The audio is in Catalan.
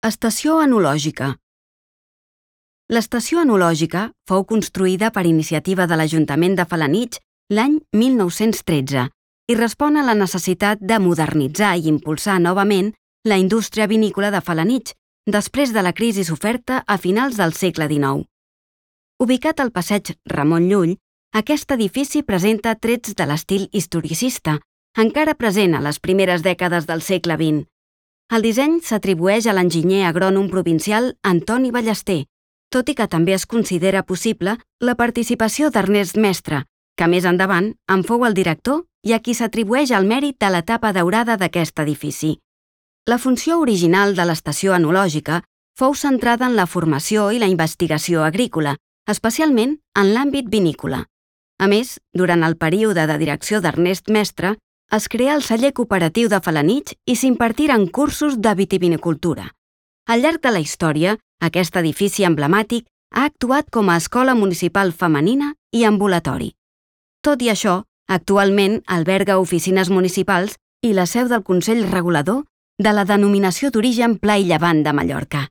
Estació enològica. L'estació enològica fou construïda per iniciativa de l'Ajuntament de Felanitx l'any 1913 i respon a la necessitat de modernitzar i impulsar novament la indústria vinícola de Felanitx després de la crisi soferta a finals del segle XIX. Ubicat al passeig Ramon Llull, aquest edifici presenta trets de l'estil historicista, encara present a les primeres dècades del segle XX. El disseny s'atribueix a l'enginyer agrònom provincial Antoni Ballester, tot i que també es considera possible la participació d'Ernest Mestre, que més endavant en fou el director i a qui s'atribueix el mèrit de l'etapa daurada d'aquest edifici. La funció original de l'estació enològica fou centrada en la formació i la investigació agrícola, especialment en l'àmbit vinícola. A més, durant el període de direcció d'Ernest Mestre, es creà el celler cooperatiu de Felanitx i s'impartiren cursos de vitivinicultura. Al llarg de la història, aquest edifici emblemàtic ha actuat com a escola municipal femenina i ambulatori. Tot i això, actualment alberga oficines municipals i la seu del Consell Regulador de la Denominació d'Origen Pla i Llevant de Mallorca.